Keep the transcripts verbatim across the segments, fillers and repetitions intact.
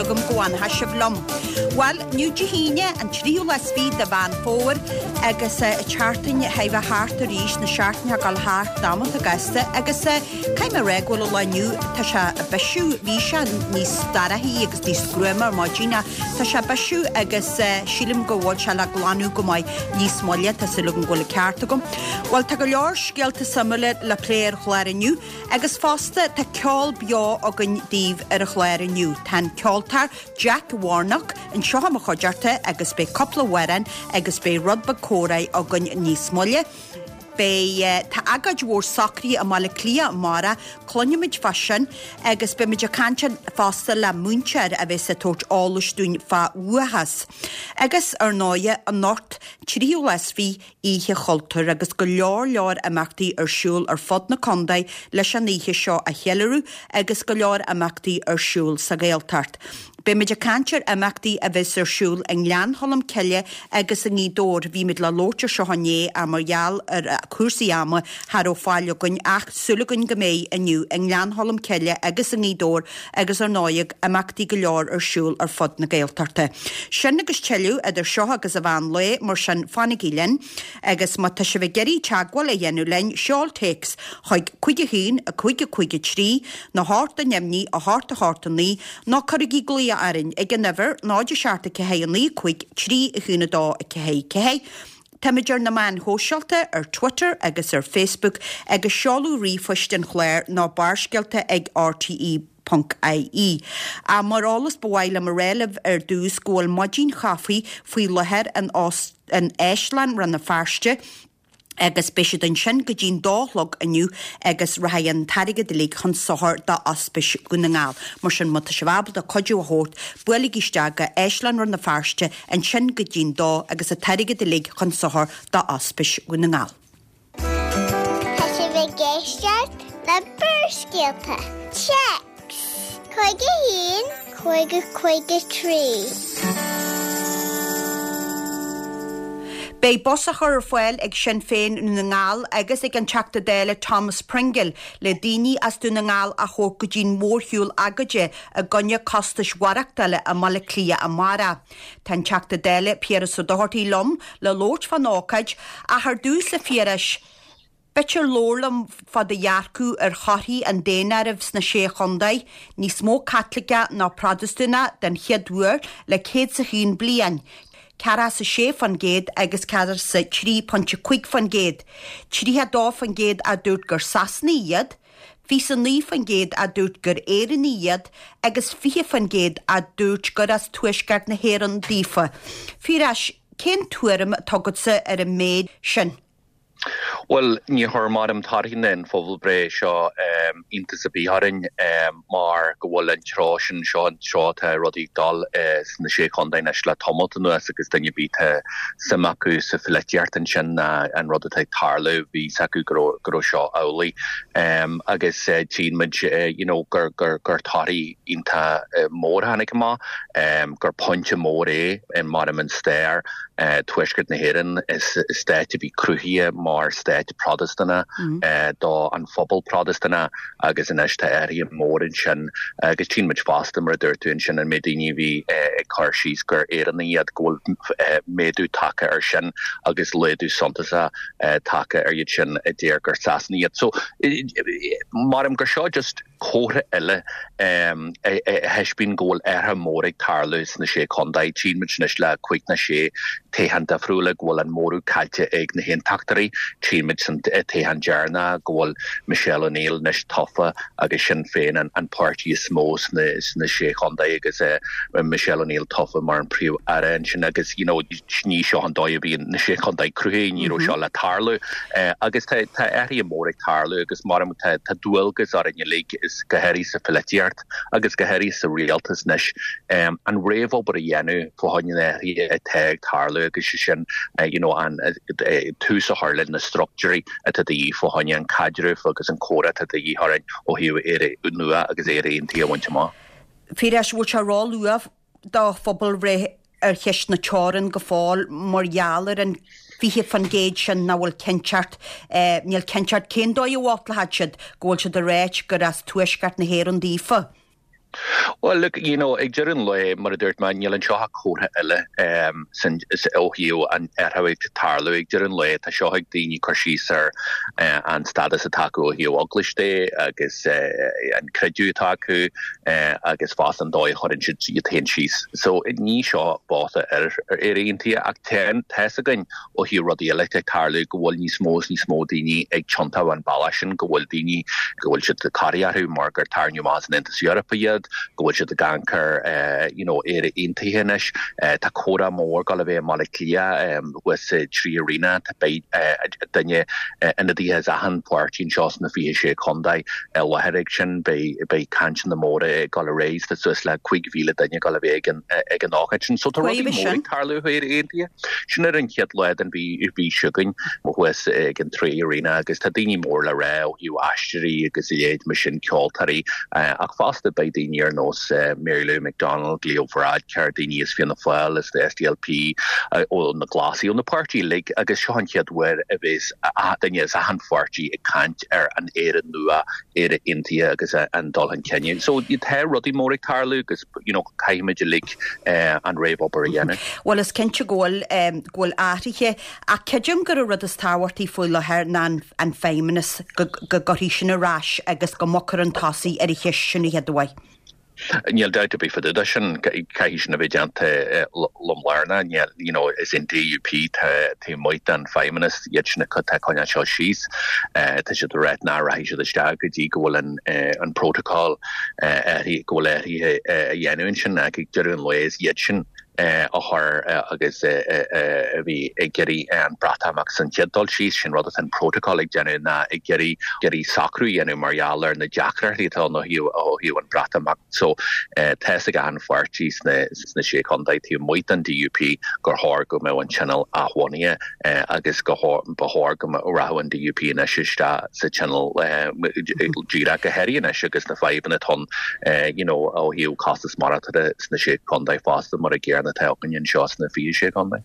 agam go bhfanfaidh sibh liom. Bhuel, inniu Dé hAoine, an tríú lá is fiche de Mheán Fómhair agus an tseachtain chóir a bheith thart arís, na seachtainí ag dul thart damanta gasta agus caithfidh mé a rá go bhfuil an lá inniu, tá sé ag bisiú, bhí sé níos dorchaí agus níos gruama ar maidin ach tá sé ag bisiú agus sílim go bhfuil sé le glanadh go maith níos moille, tá súil agam go bhfuil an ceart agam. Bhuel, tá go leor scéalta suimiúla le plé ar an chlár inniu agus fosta tá ceol beo againn daoibh ar an chlár inniu. Tá an ceoltóir Jack Warnock anseo i mo chuideachta agus beidh cúpla amhrán agus beidh rud beag comhrá againn níos moille. Beidh tá agóid mhór socraithe i mBaile Átha Cliath amárach, cluinfimid fá sin agus beimid ag caint fosta le múinteoir a bheas ag tabhairt eolais dúinn fá uathachas. Agus ar ndóighe anocht tríú lá is fiche Oíche Chultúir agus go leor leor imeachtaí ar siúl ar fud na contae leis an oíche seo a cheiliúradh agus go leor imeachtaí ar siúl sa Ghaeltacht. Beimid ag caint ar imeachtaí a bheas ar siúl i nGleann Cholm Cille agus i nGaoth Dobhair. Bhí muid le labhairt ar seo inné ach mar gheall ar chúrsaí ama cha raibh fáil againn ach súil againn go mbeidh inniu i nGleann Cholm Cille agus i nGaoth Dobhair agus ar ndóigh imeachtaí go leor ar siúl ar fud na Gaeltachta. Sin agus tuilleadh idir seo agus an mheán lae mar sin fanaigí linn agus má tá sibh ag iarraidh teagmháil a dhéanamh linn seol téacs chuig cúig a haon a cúig a cúig a trí nó a hocht a neamhní a hocht a hocht a naoi nó cuirigí glaoch orainn ag an uimhir náid a seacht a ceathair a naoi cúig trí a haon a dó a ceathair ceathair. Táimid ar na meáin shóisialta ar Twitter agus ar Facebook agus seoladh ríomhphoist an chláir ná barrscéalta ag rte ponc ie. Ach mar eolas ba mhaith liom a rá libh ar dtús go bhfuil maidin chaife faoi láthair in in Áislann Rann na Feirste agus beidh siad ansin go dtí'n dó a chlog inniu agus rachaidh an t-airgead uilig chun sochair d'Ospís Dhún na nGall. Mar sin má tá sibh ábalta cuidiú a thabhairt, buailigí isteach go Áislann Rann na Feirste ansin go dtí'n dó agus an t-airgead uilig chun sochair d'Ospís Dhún na nGall. Tá sibh ag éisteacht le Barrscéalta. Téacs cúig a haon cúig a cúig a trí. Beidh bus á chur ar fáil ag Sinn Féin Dhún na nGall agus ag an Teachta Dála Thomas Pringle le daoine as Dún na nGall a thabhairt go dtí'n mhórshiúl agóide i gcoinne costais mhaireachtála i mBaile Átha Cliath amárach. Tá an Teachta Dála Piaras Ó Dochartaigh liom le labhairt fán ócáid ach ar dtús a Phiarais, B'fhéidir labhair liom fá do dhearcadh ar thorthaí an daonáirimh sna Sé Chontae, níos mó Caitliceach ná Protastúnach den chéad uair le céad 's a haon bliain, ceathracha 's a sé fán gcéad agus ceathracha 's a trí pointe cúig fán gcéad, tríocha dó fán gcéad a dúirt gur Sasanaigh iad, fiche 's a naoi fán gcéad a dúirt gur Éireannaigh iad agus fiche fán gcéad a dúirt gur as Tuaisceart na hÉireann daofa. Phiarais, cén tuairim atá agatsa ar an méid sin? Bhuel, ní chuir maram torthaí na pobalbhreithe seo iontas ar bith orainn mar go bhfuil an treo sin seo an treo atá rudaí ag dul sna Sé Chontae anois le tamalt anuas agus duine ar bith atá suim acu sa pholaitíocht ansin ná an rud atá ag tarlú bhí fhios acu go raibh go raibh seo amhlaidh agus tchíonn muid you know gur gur gur torthaí iontach mór a tháinig amach gur pointe mór é maram an stair Tuaisceart na hÉireann is stát a bhí cruthaithe mar stát Protastúnach do an phobal Protastúnach agus anois tá athruithe mór ansin agus tchíonn muid fosta mar a dúirt tú ansin an méid daoine a bhí ag cur síos gur Éireannaigh iad go bhfuil méadú tagtha ar sin agus laghdú suntasach tagtha ar iad sin a deir gur Sasanaigh iad. So maram gur seo just comhartha eile a thaispeáin go bhfuil athruithe mór ag tarlú sna Sé Chontae. Tchíonn muid anois le cúig nó sé toghchán difriúla go bhfuil an móramh caillte ag na hAontachtóirí. Tchíonn muid san toghchán deireanach go bhfuil Michelle O'Neill anois tofa agus Sinn Féin an páirtí is mó sna sna Sé Chontae agus Michelle O'Neill tofa mar an Príomh-Aire ansin agus you know ní seo an dóigh a bhí na Sé Chontae cruthaithe, ní raibh seo le tarlú. Agus tá tá athruithe mór ag tarlú agus maram tá tá dualgas orainn uilig is go háirithe sa pholaitíocht agus go háirithe sa rialtas anois an réamhobair a dhéanamh fá choinne na hathruithe atá ag tarlú agus sé sin you know an tús a chur le na struchtúirí atá de dhíth fá choinne an caidreamh agus an comhrá atá de dhíth orainn ó thaobh Éire nua agus Éire aontaithe a bhaint amach. Phiarais, bhfuil sé ró-luath do phobalbhreith ar cheist na teorann go fóill mar gheall ar an fiche fan gcéad sin nach bhfuil cinnteacht, níl cinnteacht cén dóigh a vótálfaidh siad, go bhfuil siad ag ráit gur as tuaisceart na hÉireann daofa. Well look, you know, ag deireadh an lae mar a dúirt mé níl anseo ach comhartha eile um, sin ó thaobh an athrú ag tarlú ag deireadh an lae tá seo ag daoine cur síos ar uh, an stádas atá acu ó thaobh eaglais de agus uh, an creideamh atá acu uh, agus fosta an dóigh a chuireann siad iad féin síos. So ní seo vóta ar ar Éire Aontaithe ach tá a fhios againn ó thaobh rudaí eile ag tarlú go bhfuil níos mó is níos mó daoine ag tiontú an bealach sin go bhfuil daoine go bhfuil siad corraithe orthu mar gur tarraingíodh amach as an Aontas Eorpach iad go bhfuil siad ag amharc ar you know Éire Aontaithe anois tá comhrá mór ag gabháil a bheith i mBaile Átha Cliath thuas sa Three Arena tá beidh duine ionadaithe as achan pháirtí anseo sna fiche sé contae i láthair ag sin beidh beidh cainteanna móra ag gabháil ar aghaidh tá suas le cúig mhíle duine ag gabháil a bheith ag an ag an ócáid sin so tá rudaí móra ag tarlú Éire Aontaithe sin ar an chéad lá den mhí mhí seo chugainn thuas ag an Three Arena agus tá daoine mór le rá ó thaobh aisteoirí agus a leithéid mar sin ceoltóirí ach fosta beidh daoine ar nós Mary Lou McDonald, Leo Varadkar, daoine as Fianna Fáil as the SDLP ó na Glasaigh ó na páirtithe uilig agus seo an chéad uair a bheas duine as achan pháirtí ag caint ar an Éire nua, Éire Aontaithe agus an dul chun cinn. So tá rudaí mór ag tarlú agus you know, caithfimid uilig an réamhobair a dhéanamh. Well is cinnte go bhfuil um, go bhfuil athruithe ach creidim gur an rud is tábhachtaí faoi láthair ná an, an feidhmeannas go, go gcuirfí sin ar ais agus go mbogfar chun tosaigh ar an cheist sin a chéad uair. Níl dabht ar bith fá dtaobh de sin caithfidh sin a bheith déanta lom lárna you know, is an DUP taobh amuigh den feidhmeannas iad sin atá coinneáil seo síos tá siad ag rá nach rachaidh siad isteach go dtí go bhfuil an, an protocol go bhfuil athruithe a dhéanamh ansin ag deireadh an lae is iad sin a chur agus a bhí ag iarraidh an Breatimeacht san chéad dul síos sin rud atá an protocol ag déanamh ná ag iarraidh iarraidh socrú a dhéanamh mar gheall ar na deacrachtaí atá ó thaobh an Breatimeacht so tá a fhios ag an pháirtí sna sna sé chontae taobh amuigh den DUP gur chóir go mbeadh an tionól athbhunaithe agus go ba chóir go rachadh an DUP anois isteach sa tionól díreach go háirithe anois agus na fadhbanna atá you know ó thaobh costas maireachtála sna sé chontae fosta mar a gcéanna atá againn anseo sna fiche sé chontae.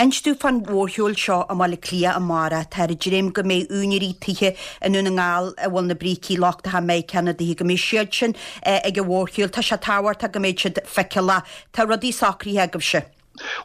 Inis dúinn fán mhórshiúl seo i mBaile Átha Cliath amárach tá ag dréim go mbeidh úinéirí tithe i nDún na nGall a bhfuil na brící lochtacha Meiriceá na dtithe go mbeidh siad sin ag an mhórshiúl Tá sé tábhachtach go mbeidh siad feiceálach Tá rudaí socraithe agaibhse.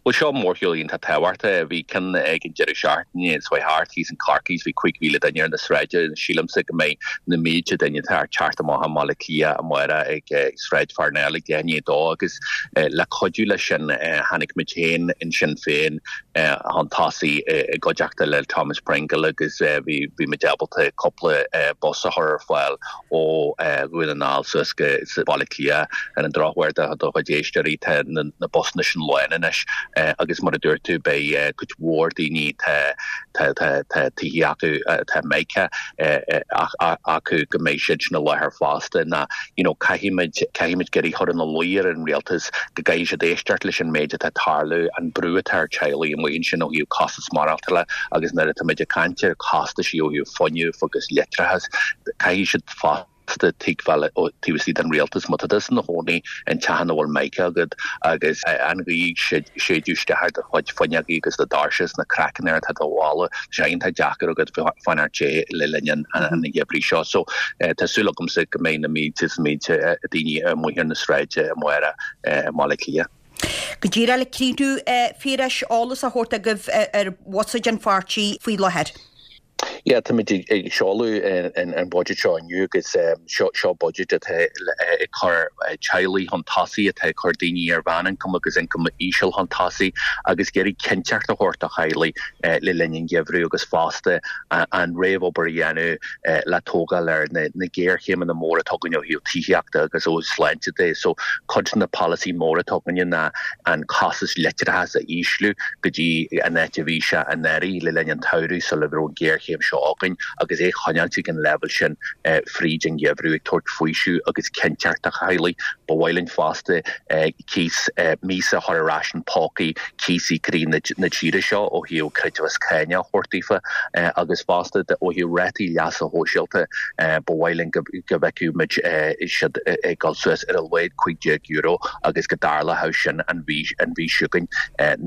Well seo mórshiúl iontach tábhachtach bhí ceann ag an deireadh seachtaine seo thart thíos in Corcaigh bhí cúig mhíle duine ar na sráideanna sílimse go mbeidh na mílte duine ag teacht amach i mBaile Átha Cliath amárach ag Sráid Pharnell ag deich i ndiaidh a dó agus le cuidiú leis sin tháinig muid féin in Sinn Féin chun tosaigh i gcuideachta le Thomas Pringle agus bhí bhí muid ábalta cúpla bus a chur ar fáil ó Dhún na nGall suas go Baile Átha Cliath ar an drochuair do do chuid éisteoirí tá na, na busanna sin lán anois agus mar a dúirt tú beidh cuid mhór daoine tá tithe acu tá Micah acu go mbeidh siad sin i láthair fosta ná you know, caithfimid caithfimid go chur ina luí ar an rialtas go gcaithfidh siad éisteacht leis an méid atá tarlú an brú atá ar teaghlaigh amuigh ansin ó thaobh costas maireachtála agus nuair atá muid ag caint ar chostais ó thaobh fuinnimh agus leictreachas caithfidh siad fosta tuigbheáil ó taobh istigh den rialtas má tá tusa i do chónaí in teach ina bhfuil Mica agat agus an ghaoth ag séideadh isteach ar do chuid fuinneogaí agus do dhoirse is na craiceanna atá do bhalla sé iontach deacair agat fanacht te le linn an an gheimhridh seo so tá súil agamsa go mbeidh na mílte is mílte daoine amuigh ar na sráide amárach i mBaile Átha Cliath. Go díreach le críochnú Phiarais eolas a thabhairt agaibh ar bhuiséad an pháirtí faoi láthair. Ja tá muid ag seoladh an budget seo inniu agus seo seo budget atá ag cur teaghlaigh chun tosaigh atá ag cur daoine ar mheánioncam agus ioncam íseal chun tosaigh agus ag iarraidh cinnteacht a thabhairt do theaghlaigh le linn an gheimhridh agus fosta an réamhobair a dhéanamh le tógáil ar na, na géarchéimeanna móra atá againn ó thaobh tithíochta agus ó sláinte de. So cuid na polasaí móra atá againne ná an costas leictreachais a ísliú go dtí an áit a bhí sé anuraidh le linn an tsamhraidh sula raibh an géarchéim seo againn agus é choinneáil ag an leibhéal sin fríd an gheimhreadh ag tabhairt faoiseamh agus cinnteacht do theaghlaigh ba mhaith linn fosta cíos míosa a chur ar ais in pócaí cíosaí croí na tíre seo ó thaobh creidmheas cáine a thabhairt daofa agus fosta ó thaobh rátaí leasa shóisialta ba mhaith linn go bhfeicfeadh muid siad ag dul suas ar a laghad cúig déag euro agus go dtarlódh sin an mhí an mhí seo chugainn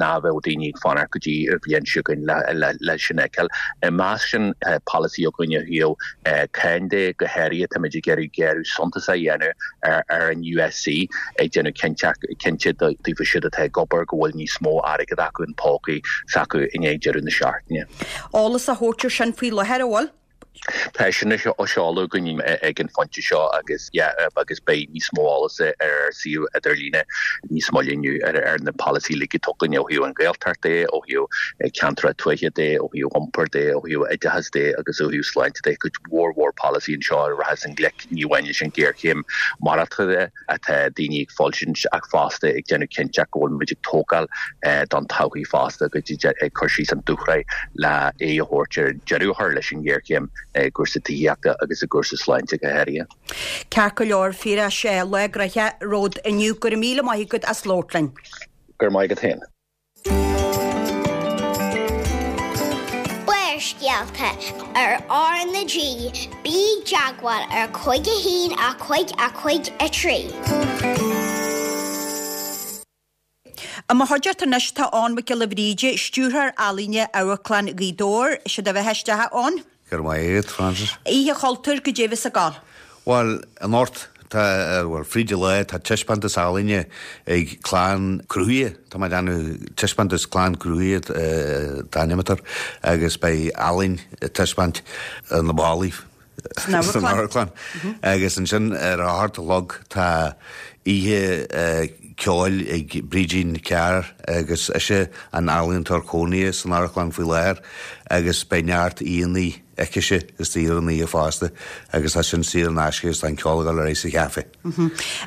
ná bheadh daoine ag fanacht go dtí an bhliain seo chugainn le le sin a fheiceáil. I measc sin Tá polasaí againn ó thaobh cáin de, go háirithe táimid ag iarraidh géarú suntasach a dhéanamh ar an U S C, ag déanamh cinnte daofa siúd atá ag obair go bhfuil níos mó airgead acu in pócaí s'acu i ndiaidh deireadh na seachtaine. Eolas a thabhairt ar sin faoi láthair, an bhfuil? Tá sin á seoladh againn ag an phointe seo agus agus beidh níos mó eolas ar ár suíomh idirlíne níos moille inniu ar na polasaí uilig atá againn ó thaobh an Ghaeltacht de, ó thaobh ceantracha tuaithe de, ó thaobh iompair de, ó thaobh oideachas de agus ó thaobh sláinte de. Cuid mhór mhór polasaí anseo a rachas i ngleic ní amháin leis an géarchéim maireachtála atá daoine ag fulaingt ach fosta ag déanamh cinnte go bhfuil muid ag tógáil don todhchaí fosta agus ag cur síos an dúshraith le aghaidh a thabhairt ar deireadh a chur leis an ngéarchéim i gcúrsaí tithíochta agus i gcúrsaí sláinte go háirithe. Ceart go leor, Phiarais, lá gnoitheach romhat inniu. Go raibh míle maith agat as labhairt linn. Go raibh maith agat féin. Barrscéalta ar R na G, bí i dteagmháil ar cúig a haon a cúig a cúig a trí. I mo chuideachta anois tá Eoin Mac Giolla Bhríde, Stiúrthóir Ealaíne Amharclann Ghaoth Dobhair. Sé do bheatha isteach, a Eoin. Go raibh maith agat, Frances. Oíche Chultúir, goidé a bheas ag gabháil? Bhuel, anocht, tá, bhuel, fríd an lá, tá taispeántas ealaíne ag Clann Cruthaithe, tá mé ag déanamh taispeántas Clann Cruthaithe an t-ainm atá air, agus beidh ealaín ag taispeáint ar na ballaí. San amharclann. Agus ansin ar a hocht a chlog tá oíche ceoil ag Brídín Carr agus ise an ealaíontóir cónaithe san amharclann faoi láthair agus beidh neart aíonna aicise istigh ar an oíche fosta agus tá sin saor in aisce agus tá an ceol ag dul ar aghaidh sa chaife.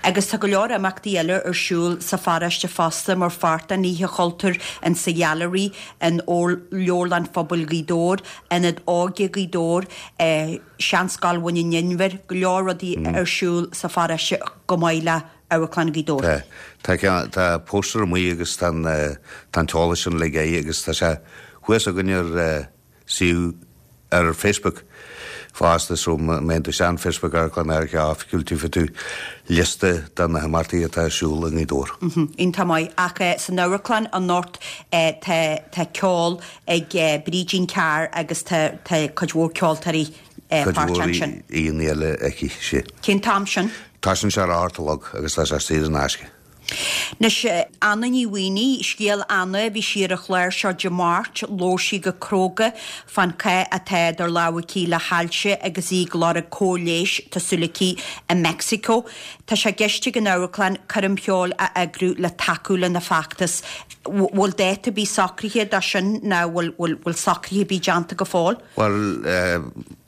Agus tá go leor imeachtaí eile ar siúl sa pharóiste fosta mar pháirt den Oíche Chultúir, in sa Ghailearaí, in Leabharlann Phobail Ghaoth Dobhair, Ionad Óige Ghaoth Dobhair, Seanscoil Bhun an Inbhir, go leor rudaí ar siúl sa pharóiste chomh maith le Amharclann Ghaoth Dobhair. Tá, tá, tá póstaer amuigh agus tá an, tá an t-eolas sin uilig air agus tá sé thuas againn ar suíomh ar Facebook fosta so má théann tú isteach Facebook Amharclann Oifigiúil gheobhaidh tú liosta de na himeachtaí atá ar siúl i nGaoth Dobhair. Iontach maith. Ach san amharclann anocht tá tá ceol ag Brídín Carr agus tá tá cuid mhór ceoltóirí Cuid mhór aíonna eile aici, sea. Cén t-am sin? Tosaíonn sé ar a hocht a chlog agus tá sé saor in aisce. Anois, Anna Ní Mhaonaigh, scéal Anna, bhí sí ar an chlár seo Dé Máirt, labhair sí go cróga fán chath atá idir lámha aici le hailse agus í ag lorg cóir leighis, tá súil aici, i Meicsiceo. Tá sé i gceist ag an amharclann coirm cheoil a eagrú le tacú lena feachtas. Bhfuil dáta ar bith socraithe dó sin nó bhfuil bhfuil socruithe ar bith déanta go fóill? Bhuel,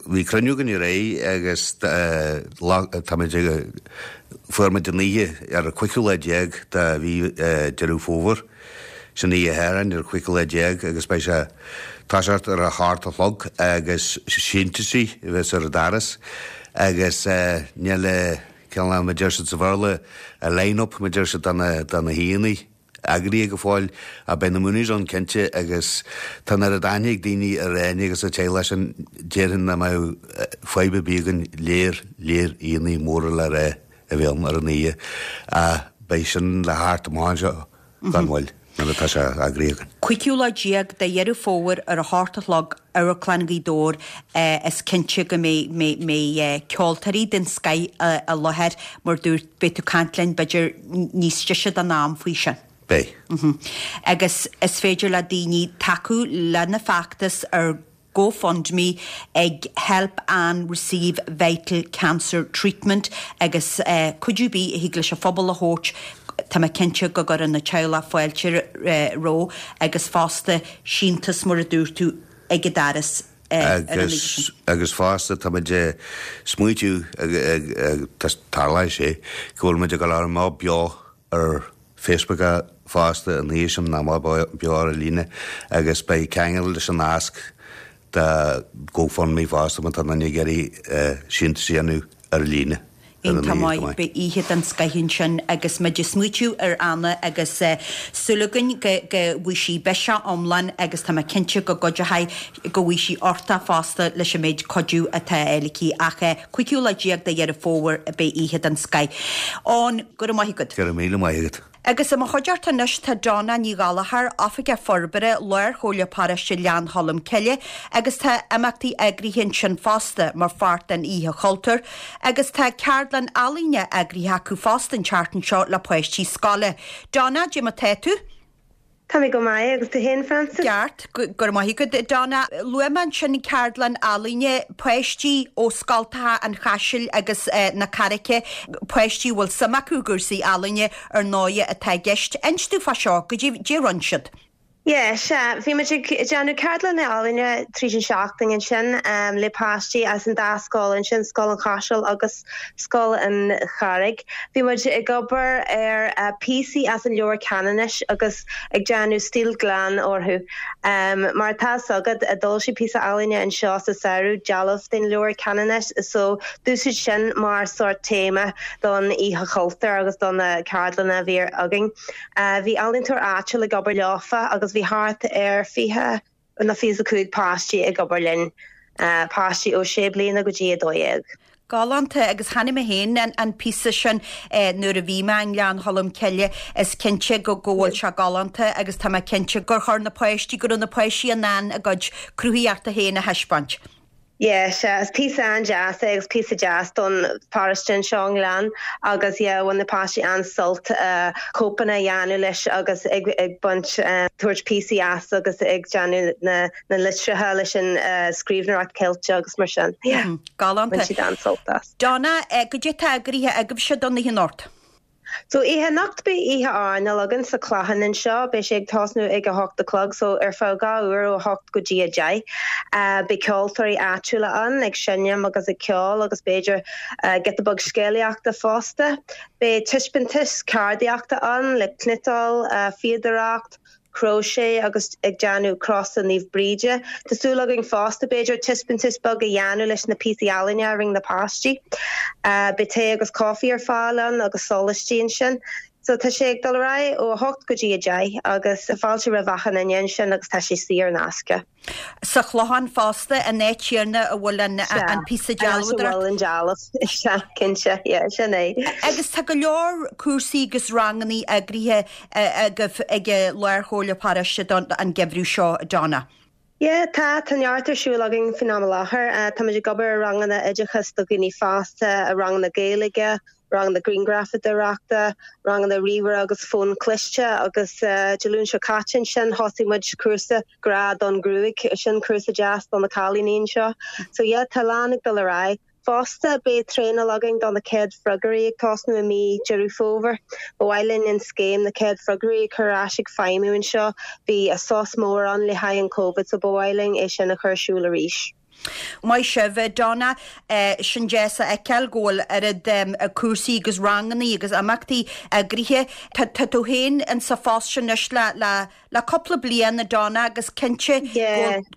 bhí cruinniú againn aréir agus táimid ag, fuair muid an oíche ar an cúigiú lá déag de mhí Deireadh Fómhair, sin oíche Shathairn ar an cúigiú lá déag agus beidh sé ag toiseacht ar a hocht a chlog agus síntiúsaí a bheas ar an doras agus níl cineál mar a deir siad sa Bhéarla, a line-up mar a deir siad de na haíonna. Eagraithe go fóill, ach beidh na Mooneys ann cinnte agus tá an oiread aithne ag daoine ar Áine agus a teaghlach sin, déarfainn nach mbeadh fadhb ar bith againn léar, léar aíonna móra le rá a bheith ann ar an oíche ach beidh sin le theacht amach anseo gan mhoill nuair atá sé eagraithe againn. Cúigiú lá déag de Dheireadh Fómhair ar a hocht a chlog, Amharclann Ghaoth Dobhair, is cinnte go mbeidh ceoltóirí den scoith i láthair mar dúirt, beidh tú ag caint linn b'fhéidir níos deise den am faoi sin. Beidh. Agus is féidir le daoine tacú lena feachtas ar GoFundMe ag Help Anne Receive Vital Cancer Treatment agus cuidiú ar bith a thig leis an phobal a thabhairt, tá mé cinnte go gcuireann an teaghlach fáilte roimhe agus fosta síntiús mar a dúirt tú ag an doras ar an oíche sin. Agus fosta tá muid ag smaoitiú, tarlóidh sé, go bhfuil muid ag dul amach beo ar Facebook fosta an oíche sin, amach beo ar líne agus beidh ceangal leis an nasc do GoFundMe fosta má tá duine ag iarraidh síntiús a dhéanamh ar líne. Iontach maith, beidh oíche den scoith ansin agus muid ag smaoitiú ar Anna agus súil againn go go bhfaighidh sí biseach iomlán agus tá mé cinnte go gcuideoidh, go bhfaighidh sí uchtach fosta leis an méid cuidiú atá á fháil aici ach cúigiú lá déag de Dheireadh Fómhair beidh oíche den scoith ann. Go raibh maith agat. Go raibh míle maith agat. Agus i mo chuideachta anois tá Donna Ní Ghallchóir, Oifigeach Forbartha, Lár-Chomhairle Paróiste Ghleann Cholm Cille agus tá imeachtaí eagraithe ansin fosta mar pháirt den Oíche Chultúir agus tá ceardlann ealaíne eagraithe acu fosta an tseachtain seo le páistí scoile. Donna, cad é mar tá tú? Tá mé go maith agus tú féin Frances? Ceart go raibh maith agat Donna luaigh mé ansin ceardlann ealaíne páistí ó scoltacha an Chaisil agus eh, na Carraice páistí bhfuil suim acu i gcúrsaí ealaíne ar ndóigh atá i gceist. Inis dúinn fá seo cad é a rinne siad. Yeah, sea, bhí muid ag déanamh ceardlann ealaíne tríd an seachtain ansin um, le páistí as an dá scoil ansin Scoil an Chaisil agus Scoil an Charraig. Bhí muid ag obair ar uh, píosaí as an leabhar Ceanannais agus ag déanamh stíl glan orthu. Um, mar tá agad a dul si pí ealaíne anseo sa samhradh dealbh den leabhar Ceanannais, so d'úsáid sin mar sort téama don Oíche Chultúir agus don na ceardlanna a bhí againn. Uh, bhí ealaíontóir áitiúil ag obair leofa agus bhí thart ar fiche nó fiche a cúig páistí ag obair linn uh, páistí ó sé bliana go dtí a dó dhéag. Galánta agus chonaic mé féin an, an píosa sin eh, nuair a bhí mé i nGleann Cholm Cille is cinnte go go bhfuil sé galánta agus tá mé cinnte gur chuir na páistí go raibh na páistí in ann a gcuid cruthaíochta féin a thaispeáint. Yeah, sea is píosa an-deas é agus píosa deas don pharóiste anseo an Gleann agus yeah, bhain na páistí an-sult uh, cóipeanna a dhéanamh leis agus ag, ag baint uh, tabhairt píosaí as agus ag déanamh na, na litreacha leis an uh, scríbhneoireacht Ceilteach agus mar sin. Yeah. Mm, Galánta. Bhain siad an-sult as. Donna eh, cad é atá eagraithe agaibhse don oíche anocht. So oíche anocht beidh oíche airneáil againn sa Chlochán anseo, beidh sé ag tosnú ag a hocht a chlog, so ar feadh dhá uair ó hocht go dtí a deich. Uh, beidh ceoltóirí áitiúla ann ag seinm agus ag ceol agus b'fhéidir uh, giota beag scéalaíochta fosta. Beidh taispeántas ceardaíochta ann le cniotáil, uh, fíodóireacht, crochet agus ag déanamh crosa Naomh Bríde. Tá súil againn fosta b'fhéidir taispeántas beag a dhéanamh leis na píosaí ealaíne a rinne na páistí. Uh, Beidh tae agus caife ar fáil ann agus sólaistí ansin. So tá sé ag dul ar aghaidh ó hocht go dtí a deich agus fáilte roimh achan duine ansin agus tá sé saor in aisce. Sa Chlochán fosta an áit chéanna a bhfuil an, an píosa dealbh an dealbh sea cinnte sin é. Agus tá go leor cúrsaí agus ranganna eagraithe agaibh ag Lár-Chomhairle Paróiste don an geimhreadh seo Donna. Yeah, tá tá neart ar siúl againn faoin am i láthair, uh, Tá ag obair ranganna oideachas do dhaoine fásta a ranganna Gaeilge, ranganna grianghrafadóireachta, ranganna ríomhaire agus fón cliste agus uh, Dé Luain seo caite ansin thosaigh muid cúrsa grá don ghruaig sin cúrsa deas don na cailíní seo. So yeah, tá lán ag dul ar aghaidh. Fosta beidh traenáil againn don na céad freagróirí ag tosnú i mí Deireadh Fómhair. Ba mhaith linn an scéim na céad freagróirí chur ar ais ag feidhmiú anseo, bhí a sos mór ann le haghaidh an COVID so ba mhaith linn é sin a chur ar siúl arís. Maith sibh Donna eh, sin deas a fheiceáil go bhfuil oiread um, cúrsaí agus ranganna agus imeachtaí eagraithe. Tá tú féin in sa phost sin anois le le le cúpla bliain a Donna agus cinnte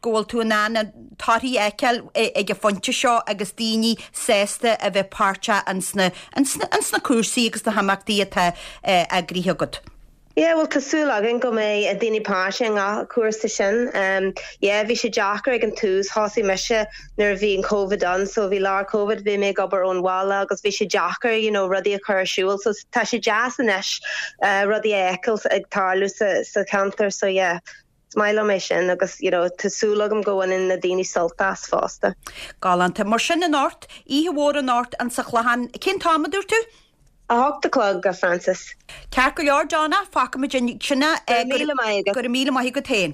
go bhfuil tú in ann an torthaí a fheiceáil ag an phointe seo agus daoine sásta a bheith páirteach insna insna cúrsaí agus na himeachtaí atá eh, eagraithe agat. Yeah, well tá súil againn go mbeidh daoine páirteach i ngach cúrsa sin. Um, yeah, bhí sé deacair ag an tús thosaigh mise nuair a bhí an COVID ann, so bhí lár COVID bhí mé ag obair ón bhaile agus bhí sé deacair you know, rudaí a chur ar siúl, so tá sé deas anois uh, rudaí a fheiceáil ag tarlú sa, sa cheantar so yeah. Is maith liom é sin agus you know, tá súil agam go mbaineann na daoine sult as fosta. Galánta mar sin anocht, oíche mhór anocht an sa Chlochán cén t-am a dúirt tú? A hocht a chlog a Francis. Ceart go leor Donna fágfaimid ansin míle maith go míle maith agat féin.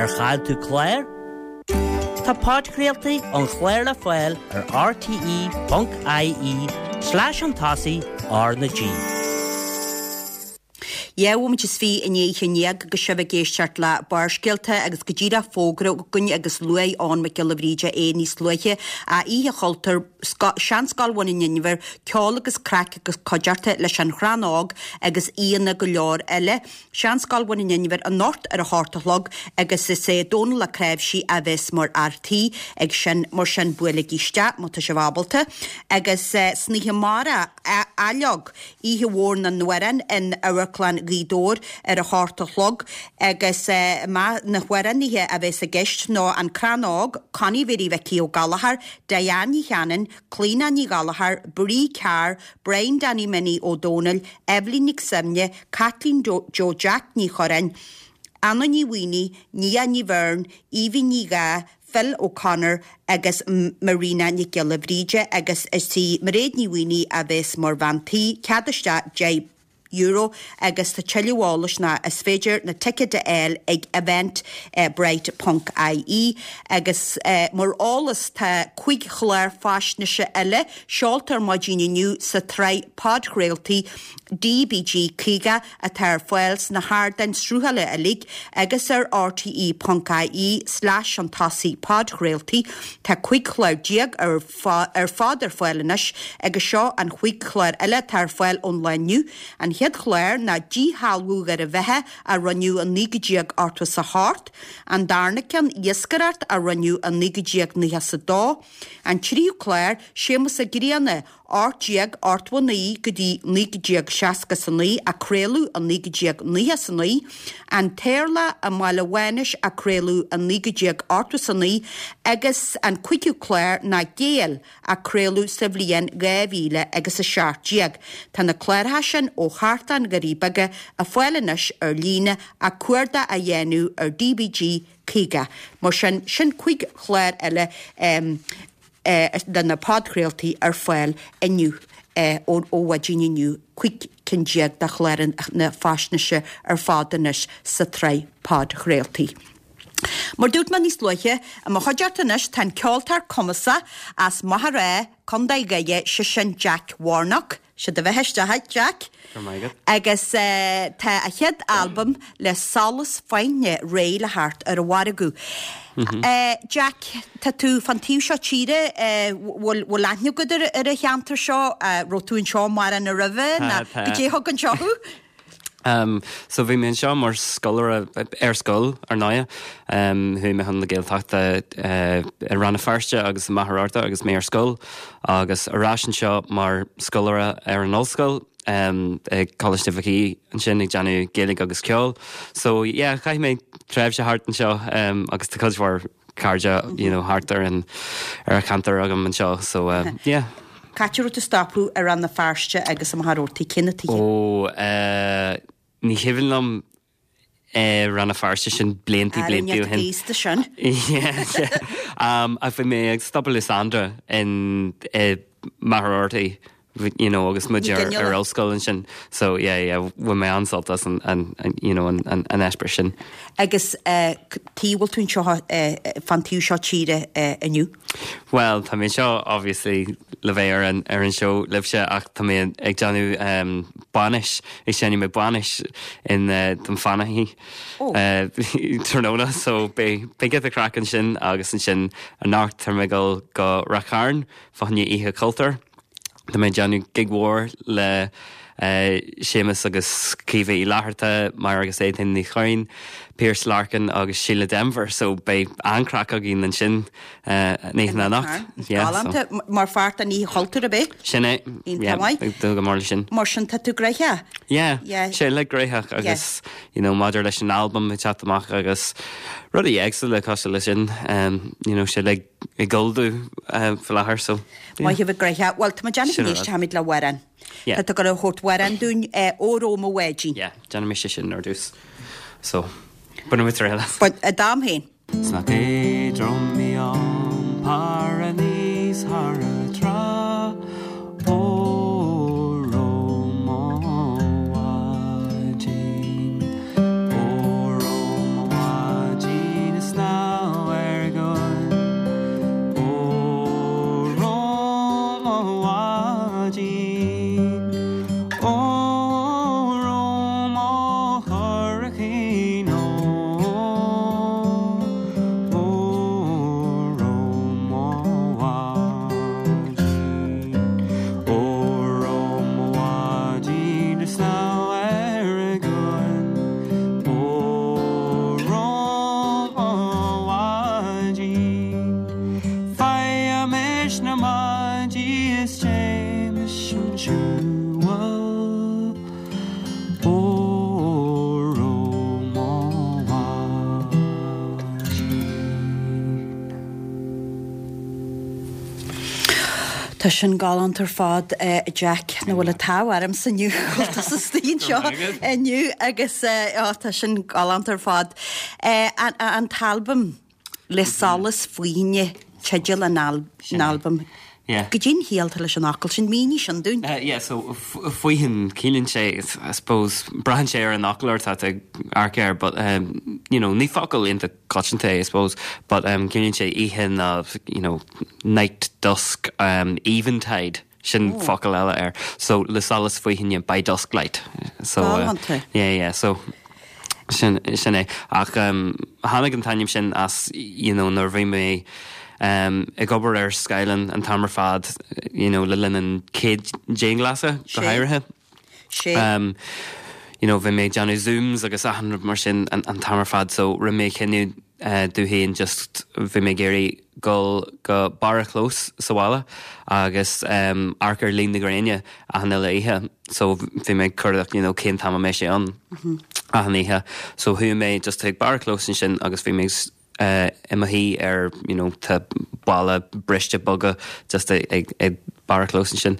Ar chaill tú clár? Tá podchraoltaí an chláir le fáil ar rte.ie slash an tosaigh R na G. Dhá bhomaite is fiche i ndiaidh a haon déag agus sibh ag éisteacht le Barrscéalta agus go díreach fógra againn agus luaigh Eoin Mac Giolla Bhríde é níos luaithe a Oíche Chultúir Seanscoil Bhun an Inbhir, ceol agus craic agus cuideachta leis an Chrann Óg agus aíonna go leor eile. Seanscoil Bhun an Inbhir anocht ar a hocht a chlog agus is é Dónal Ó Cnáimhsí a bheas mar fhear tí ag sin mar sin buailigí isteach má tá sibh ábalta agus uh, san oíche amárach Aileog oíche mhór na n-amhrán in Amharclann Ghaoth Dobhair ar a hocht a chlog agus na hamhránaithe a bheas i gceist ná An Crann Óg, Connie Mhary Mhicí Ó Gallchóir, Diane Ní Chanainn, Clíona Ní Ghallchóir, Brí Carr, Brian Danny Minnie Ó Dónaill, Eibhlín Nic Suibhne, Caitlín Joe Jack Ní Churráin, Anna Ní Mhaonaigh, Nia Ní Bheirn, Evie Ní Gha, Phil O'Connor agus Marina Nic Giolla Bhríde agus is í Mairéad Ní Mhaonaigh a bheas mar bhean tí, cead isteach deich euro agus tá tuilleadh eolais ná is féidir na ticéid a fháil ag eventbrite ponc ie agus mar eolas tá cúig chlár faisnéise eile seolta ar maidin inniu sa tsraith podchraoltaí DBG caoga atá ar fáil sna hardáin sruthála uilig agus ar rte ponc ie slash an tosaigh podchraoltaí. Tá cúig chlár déag ar ar fad ar fáil anois agus seo an chúig chlár eile atá ar fáil ón lá inniu. An chéad chlár ná Díshealbhú Dhoire Bheatha a rinneadh i naoi déag ochtó is a hocht, an darna ceann Iascaireacht a rinneadh i naoi déag nócha is a dó, an tríú clár Séamus Ó Grianna, ocht déag ochtó a naoi go dtí naoi déag seasca is a naoi a craoladh i naoi déag nócha is a naoi, An tEirleach i mBaile Mhánais a craoladh i naoi déag ochtó is a naoi agus an cúigiú clár ná Gael a craoladh sa bhliain dhá mhíle agus a seacht déag. Tá na cláracha sin ó Chartlann Dhoirí Beaga ar fáil anois ar líne ach cuardach a dhéanamh ar DBG caoga. Mar sin, sin cúig chlár eile de na podchraoltaí ar fáil inniu ó mhaidin inniu, cúig cinn déag de chláranna faisnéise ar fad anois sa tsraith podchraoltaí. Mar dúirt mé níos luaithe, i mo chuideachta anois tá an ceoltóir cumasach as Machaire Rátha, Contae Dhoire, sé sin Jack Warnock. Sé do bheatha isteach, Jack. Go raibh maith agat. Agus tá a chéad albam le Solas Faithne réidh le theacht ar an mhargadh. Jack, tá tú fan taobh seo tíre, bhfuil bhfuil aithne agat ar ar an cheantar seo? Raibh tú anseo mórán roimhe nó goidé a thug anseo thú? Um, so bhí mé anseo mar scoláire ar scoil ar ndóigh. Um, chuaigh mé chun na Gaeltachta uh, i Rann na Feirste agus i Machaire Rabhartaigh agus mé ar scoil agus ar ais anseo mar scoláire ar an ollscoil um, ag Coláiste Mhic Aoidh ansin ag déanamh Gaeilge agus ceol. So yeah, chaith mé tréimhse thart anseo um, agus tá cuid mhór cairde you know, thart ar an ar an cheantar agam anseo so uh, yeah. Cá háit a raibh tú ag stopadh i Rann na Feirste agus i Machaire Rabhartaigh cé na tithe? Ó uh, ní cuimhin liom eh, Rann na Feirste sin blianta blianta ó shin. Aosta sin. Yeah, yeah. Um, ach bhí mé ag stopadh le Sandra in eh, Machaire Rabhartaigh, you know, agus muid ar, ar ollscoil ansin. So yeah, yeah, bhain mé an-sult as an, an, an, you know, an, an, an eispéireas sin. Agus uh, tí bhfuil tú anseo uh, fan taobh seo tíre uh, inniu? Well, tá mé seo obviously le bheith ar an, ar an seó libhse ach tá mé ag déanamh um, bainis ag seinm mé bainis in uh, Dunfanaghy Oh. uh, tráthnóna so beidh beidh giota craic ansin agus ansin anocht tá mé ag dul go Ráth Chairn fá choinne Oíche Chultúir. Tá mé déanamh gig mhór le uh, Séamus agus Caoimhe Uí Fhlatharta, Máire agus Étain Ní Chuinn, Pierce Larkin agus Síle Denvir, so beidh an-chraic againn ansin uh, ní anocht. Yeah, so. Mar pháirt den Oíche Chultúir ab ea? Sin é Iontach maith. ag dul go mór leis sin. Mar sin tá tú gnóthach? Yeah, Yeah. sé le gnóthach agus you know, maidir leis an album ag teacht amach agus rudaí éagsúla cosúil leis sin um, you know, sé le ag ullmhú um, faoi láthair so. Maith thú bheith gnóthach. Well, tá déanamh Sin anois rud. táimid le hamhrán. Yeah. Tá tú ag tabhairt amhrán dúinn Óró mo bháidín. Yeah, déanfaidh mise sin ar dtús. So, bainfidh muid triail as. But a dam féin. 'S nach éadrom í iompar aníos thar an trá Óró mo bháidín Óró mo bháidín is snámh ar an gcuan Óró mo bháidín Óró mo churachín Óró mo bháidín Óró mo bháidín is snámh ar an gcuan Óró mo bháidín Faighim na maidí is téimis chun siúil Óró Tá sin galánta ar fad a Jack nó bhfuil an t-ádh ormsa inniu sa stiúideo inniu agus tá sin galánta ar fad. An t-albam le solas faoine teideal an albaim. Goidé an chiall atá leis an fhocal sin mínigh sin dúinn. Yeah, so faoithin ciallaíonn sé I suppose braitheann sé ar an fhoclóir atá ag amharc air but um, you know, ní focal iontach coitianta é I suppose, but um, ciallaíonn sé oíche ná you know, night, dusk, um, eventide sin oh. focal eile air. So le solas faoithine by dusk light. So uh, yeah, yeah, so sin sin é ach um, tháinig an t-ainm sin as you know, nuair bhí mé um, ag obair ar scáileán an t-am ar fad you know, le linn an chéad dianghlasáil go háirithe. Um, you know, bhí mé déanamh zooms agus achan rud mar sin an, an t-am ar fad so rinne mé cinneadh uh, domh féin just bhí mé ag iarraidh dul go barr an chlós sa bhaile agus um, amharc ar luí na gréine achan uile oíche so bhí mé cuardach you know, cén t-am a mbeidh sé ann mm -hmm. achan oíche so chuaigh mé just chuig barr an chlós ansin agus bhí mé uh, i mo shuí ar you know, tá balla briste boga just ag, ag, ag barr an chlós ansin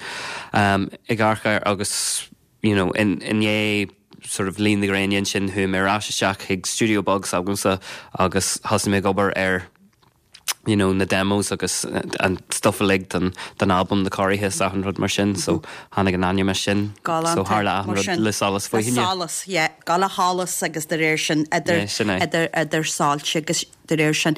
um, ag amharc air agus you know, in, in é sort of luí na gréine sin chuaigh mé ar ais isteach chuig studio beag s'agamsa agus thosaigh mé ag obair ar you know, na demos agus an stuff uilig den, den album na cóirithe is achan rud mar sin, so tháinig an ainm sin so tharla achan rud le solas faoithine. Solas, yeah, gal a sholas agus de réir sin idir, yeah, idir, idir soilse agus de réir sin.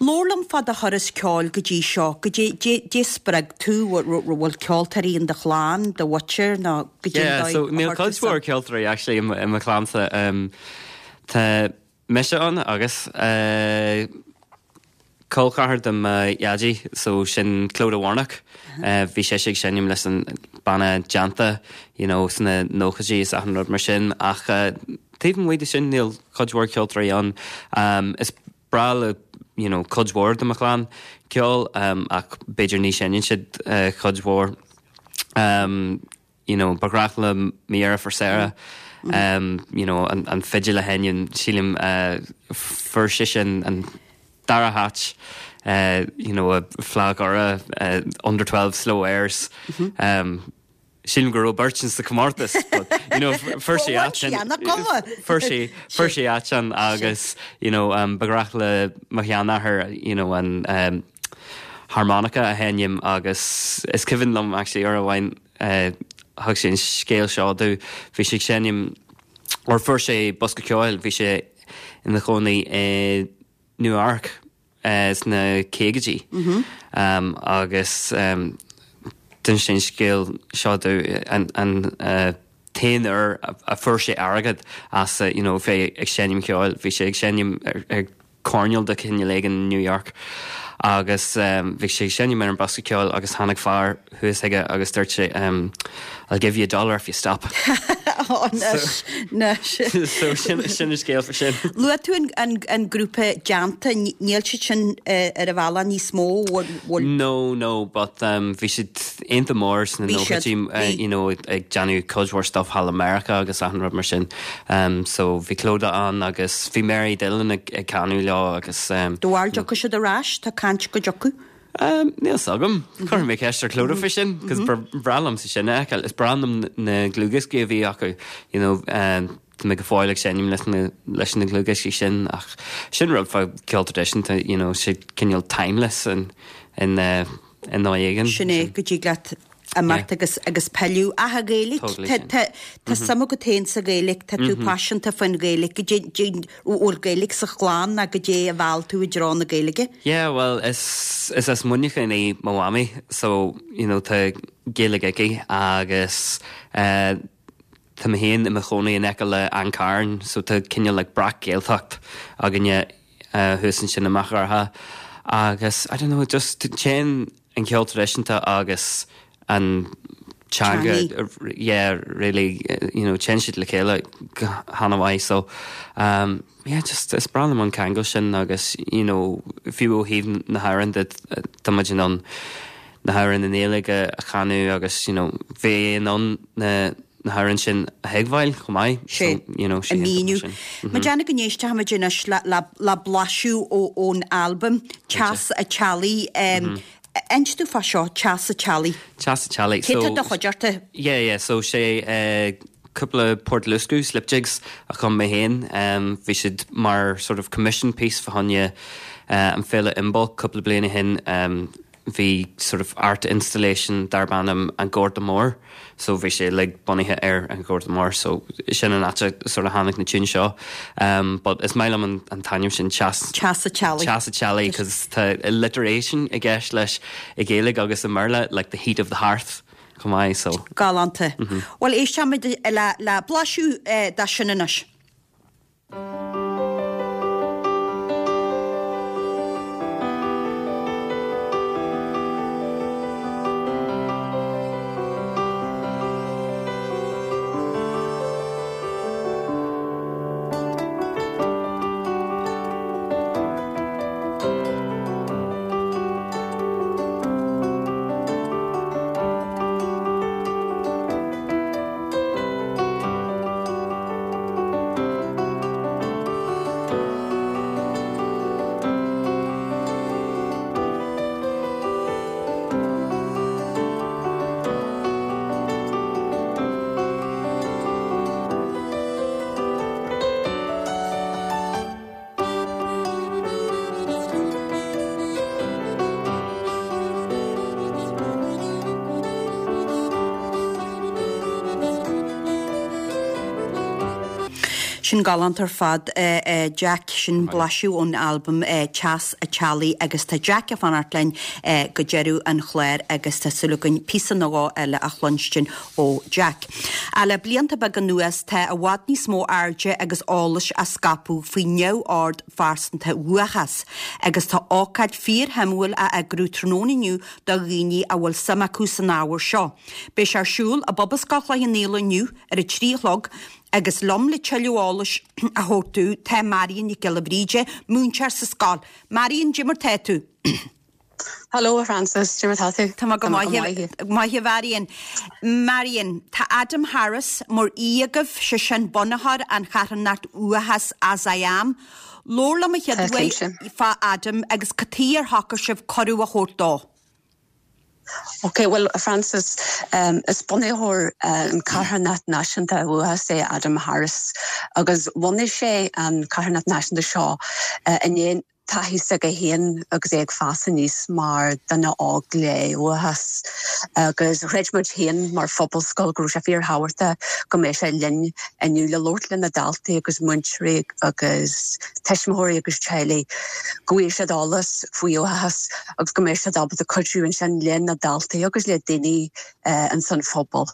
Labhair liom fá do thuras ceoil go dtí seo, go dtí dé spreag tú bhfuil ceoltóirí in do chlann, do mhuintir nó go dtí Yeah, so níl cuid mhór ceoltóirí actually i mo chlannsa. Um, tá mise ann agus uh, col ceathar de mo dhaidí so sin Clodagh Warnock. Uh, bhí sé ag seinm leis an banna Déanta you know, sna nóchaidí is achan rud mar sin ach uh, taobh amuigh de sin níl cuid mhór ceoltóirí ann. Um, is breá le you know, cuid mhór de mo chlann ceol um, ach b'fhéidir ní sheinneann siad uh, cuid mhór. Um, you know, ba ghnách le mo dheirfiúr Sarah. Mm -hmm. um, you know, an, an fidil a sheinm sílim uh, fuair sí an, an dara háit uh, you know, a Fleadh Dhoire uh, under twelve slow airs. Mm -hmm. um, Sílim go raibh beirt sa comórtas, but you know, fuair sí fuair sí fuair sí áit agus you know, um, ba ghnách le mo sheanathair you know, an um, harmonica a sheinm agus is cuimhin liom actually uair amháin uh, thug sé an scéal seo domh bhí sé seinm or fuair sé bosca ceoil bhí sé ina chónaí i Nua-Eabhrac uh, sna caogaidí mm -hmm. um, agus um, d'inis sé an scéal seo domh an, an uh, t-aon uair a, a fuair sé airgead as uh, you know, fé ag seinm ceoil bhí sé ag seinm ar, ar coirnéal de cineál éigin New York agus um, bhí sé seinm ar an bosca ceoil agus tháinig fear thuas chuige agus dúirt sé um, I'll give you a dollar if you stop. oh, anois, anois. so sin sin an scéal faoi sin. Luaigh tú an, an, an grúpa Déanta níl siad sin uh, ar a bhealach níos mó bhfuil No, no, but um, bhí siad iontach mór sna Bhí siad, nóchaidí, uh, bhí. you know, ag déanamh cuid mhór stuff thall America agus achan rud mar sin. Um, so bhí Clodagh ann agus bhí Mary Dillon ag, ag canadh leo agus um, Do bhfuil dtiocfaidh siad ar ais tá caint go dtiocfaidh. Um, Níl 's agam Chuir mé ceist ar Clodagh faoi sin, cos b'bhreá liomsa sin a fheiceáil. Is breá liom na dlúthdhioscaí a bhí acu you know, um, Tá mé go fóill ag seinm leis na leis na dlúthdhioscaí sin ach sin rud fá ceol traidisiúnta you know, sé cineál timeless in in uh, in dóigh éigin. Sin é go dtig leat imeacht agus agus pilleadh ach an Ghaeilge Totally Tá sin. tá- tá suim agat féin sa Ghaeilge tá tú paiseanta faoin Ghaeilge go dtí bhfuil Gaeilge sa chlann ná goidé a mheall tú i dtreo na Gaeilge. Yeah, well, is is as Muineachán í mo mhamaí, so you know, tá Gaeilge aici agus uh, tá mé féin i mo chónaí in aice le An Carn, so tá cineál like breac-Ghaeltacht againne uh, thuas ansin amach orthu. Agus I don't know, just téann an ceol traidisiúnta agus an teanga Teangaí. yeah, really uh, you know, téann siad le chéile go han-mhaith so um, yeah, just is breá liom an ceangal sin agus you know, fiú ó thaobh na hamhráin de tá muid in ann na hamhráin i nGaeilge a chanadh agus you know, bheith in ann na na hamhráin sin a thuigbheáil chomh maith Sé so, you know, a míniú. Ma déanamh go n-éistfimid anois le, le, le blaiseadh ó ón albam Teas an Teallaigh um, Inis domh fá seo, Teas a' Teallaigh. Teas a' Teallaigh. Cé tá do chuideachta? Yeah, yeah, so sé uh, cúpla port luascadh, slip jigs a chum mé féin. Um, bhí siad mar sort of commission piece fá choinne uh, an féile Imbolc cúpla bliain ó shin. Um, bhí sort of art installation darb ainm an Gorta Mór, so bhí sé like bunaithe ar an Gorta Mór, so sin an áit a sort of tháinig na tunes seo. Um, but is maith liom an, an t-ainm sin Teas Teas a' Teallaigh. Teas a' Teallaigh, cos tá alliteration i gceist leis i Gaeilge agus i mBéarla, like the heat of the hearth chomh maith, so. Galánta. Bhuel éistfimid le, le blaiseadh eh, de sin anois. Sin galánta ar fad Jack sin blaiseadh ón albam Teas a' Teallaigh agus tá Jack ag fanacht linn go deireadh an chláir agus tá súil againn píosa nó dhó eile a chluinstin ó Jack. A le blianta beaga anuas tá i bhfad níos mó airde agus eolais á scaipeadh faoi neamhord phearsanta uathachas, agus tá ócáid fíorshuimiúil á eagrú tráthnóna inniu do dhaoine a bhfuil suim acu san ábhar seo. Beidh sé ar siúl i bPobalscoil Chloich Cheann Fhaola inniu ar a trí a chlog, agus liom le tuilleadh eolais a thabhairt dúinn tá Marion Nic Giolla Bhríde, múinteoir sa scoil. Marion, cad é mar tá tú. Hello a Francis, cad é mar tá tú? Tá go maith a Mharion. Marion, tá Adam Harris mar aoi agaibh sé sin bunaitheoir an charthanacht Uathachas As I Am. Labhair liom a chéad uair fá Adam agus cad chuige ar shocraigh sibh cuireadh a thabhairt dó. Ok, well Francis, um, is bunaitheoir uh, an carthanacht náisiúnta uathachas é Adam Harris agus bhunaigh sé an carthanacht náisiúnta seo uh, i ndiaidh taithí s'aige féin agus é ag fás aníos mar duine óg le uathachas agus chreid muid féin mar phobalscoil go raibh sé fíorthábhachtach go mbeadh sé linn inniu le labhairt le na daltaí agus múinteoirí agus tuismitheoirí agus teaghlaigh go bhfuil siad eolas faoi uathachas agus go mbeidh siad ábalta cuidiú ansin le na daltaí agus le daoine uh, insan phobal.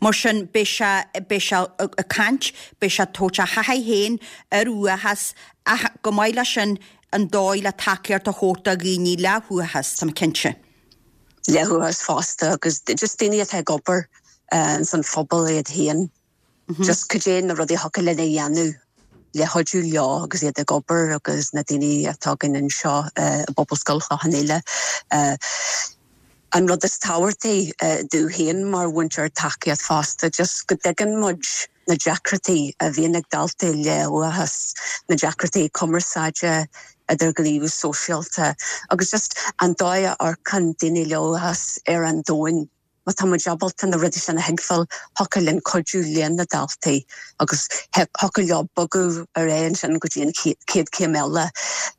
Mar sin beidh sé beidh sé ag caint, beidh sé ag tabhairt a thaithí féin ar uathachas ach go maith leis sin an dóigh le tacaíocht a thabhairt do dhaoine le huathachas, tá mé cinnte. Le huathachas fosta agus just daoine atá ag obair uh, san phobal iad féin. Just cad é na rudaí a thiocfadh linn a dhéanamh le cuidiú leo agus iad ag obair agus na daoine atá againn anseo uh, i bPobalscoil Chloich Cheann Fhaola. Uh, an rud is tábhachtaí uh, domh féin mar mhúinteoir tacaíocht fosta, just go dtuigeann muid na deacrachtaí a bhíonn ag daltaí le uathachas, na deacrachtaí cumarsáide idirghníomhú sóisialta, agus just an dóigh a amharcann daoine le uathachas ar an domhan. Má tá muid ábalta na rudaí sin a thuigbheáil, thiocfadh linn cuidiú le na daltaí agus thiocfadh leo bogadh ar aghaidh ansin go dtí an chéad chéim eile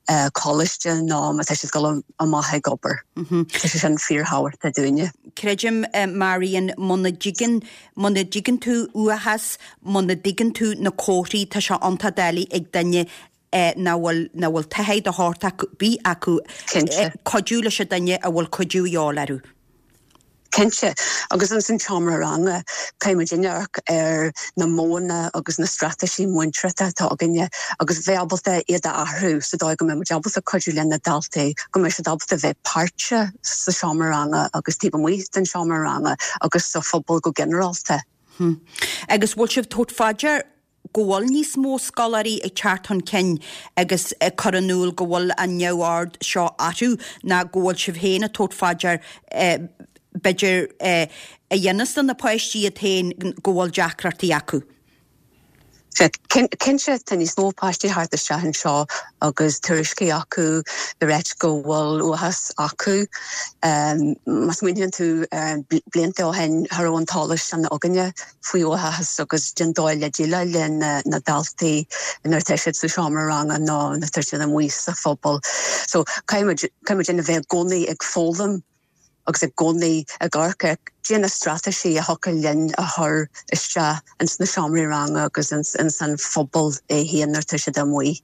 uh, coláiste nó má tá siad ag dul amach ag obair. Tá sé sin fíorthábhachtach dúinne. Creidim uh, Marion muna dtuigeann muna dtuigeann tú uathachas, muna dtuigeann tú na comharthaí tá sé iontach doiligh ag duine eh, nach bhfuil nach bhfuil taithí de shórt ar bith acu Cinnte. cuidiú leis an duine a bhfuil cuidiú de dhíobháil orthu. Cinnte agus ansan seomra ranga caithfidh muid amharc ar na modhanna agus na straitéisí múinteoireachta atá againne agus bheith ábalta iad a athrú sa dóigh go mbeidh muid ábalta cuidiú le na daltaí go mbeidh siad ábalta bheith páirteach sa seomra ranga agus taobh amuigh den seomra ranga agus sa phobal go ginearálta. Hmm. Agus bhfuil sibh tabhairt faoi deara go bhfuil níos mó scoláirí ag teacht chun cinn agus ag cur in iúl go bhfuil an neamhord seo orthu ná go bhfuil sibh féin ag tabhairt faoi deara eh, b'fhéidir eh, a dhéanas do na páistí iad féin go bhfuil deacrachtaí acu. Cinnte tá níos mó páistí thart isteach anseo agus tuairiscí acu le ráit go bhfuil uathachas acu. Má smaoiníonn tú blianta ó shin cha raibh an t-eolas sin againne faoi uathachas agus den dóigh le déileáil le na daltaí nuair atá siad sa seomra ranga nó nuair atá siad amuigh sa phobal. So caithfidh muid a bheith i gcónaí ag foghlaim agus i gcónaí ag amharc ar cad é na straitéisí a thiocfadh linn a chur isteach ins na seomraí ranga agus ins ins an phobal é féin nuair atá siad amuigh.